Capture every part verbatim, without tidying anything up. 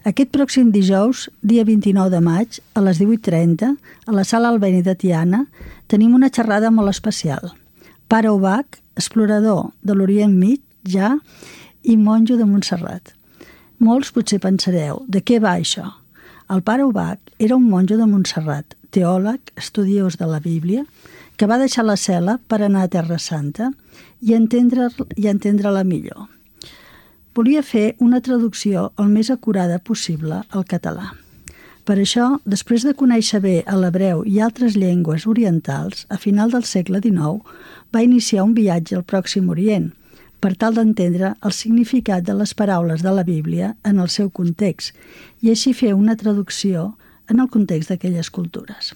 Aquest pròxim dijous, dia vint-i-nou de maig, a les divuit trenta, a la Sala Albéniz de Tiana, tenim una xerrada molt especial. Pare Ubach, explorador de l'Orient Mitjà i monjo de Montserrat. Molts potser pensareu, de què va això? El pare Ubach era un monjo de Montserrat, teòleg, estudiós de la Bíblia, que va deixar la cel·la per anar a Terra Santa i entendre, i entendre-la millor. Volia fer una traducció el més acurada possible al català. Per això, després de conèixer bé l'hebreu i altres llengües orientals, a final del segle dinou va iniciar un viatge al Pròxim Orient, per tal d'entendre el significat de les paraules de la Bíblia en el seu context i així fer una traducció en el context d'aquelles cultures.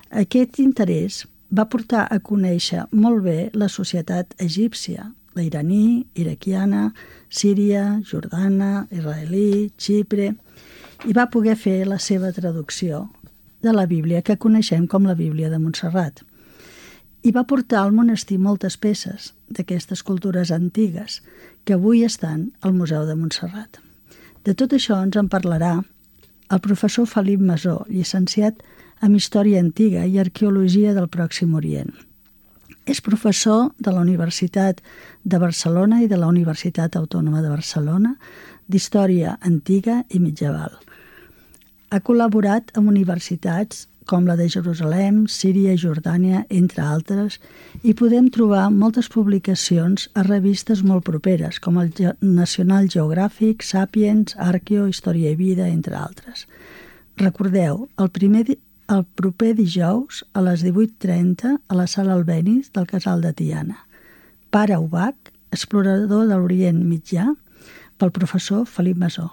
Aquest interès va portar a conèixer molt bé la societat egípcia, la iraní, iraquiana, síria, jordana, israelí, Xipre, i va poder fer la seva traducció de la Bíblia que coneixem com la Bíblia de Montserrat. I va portar al monestir moltes peces d'aquestes cultures antigues que avui estan al Museu de Montserrat. De tot això ens en parlarà el professor Felip Masó, llicenciat en Història Antiga i Arqueologia del Pròxim Orient. És professor de la Universitat de Barcelona i de la Universitat Autònoma de Barcelona d'Història Antiga i Mitjaval. Ha col·laborat amb universitats com la de Jerusalem, Síria i Jordània, entre altres, i podem trobar moltes publicacions a revistes molt properes, com el National Geographic, Sapiens, Arqueo, Història i Vida, entre altres. Recordeu, el primer el proper dijous a les divuit trenta a la Sala Albéniz del Casal de Tiana. Pare Ubach, explorador de l'Orient Mitjà, pel professor Felip Masó.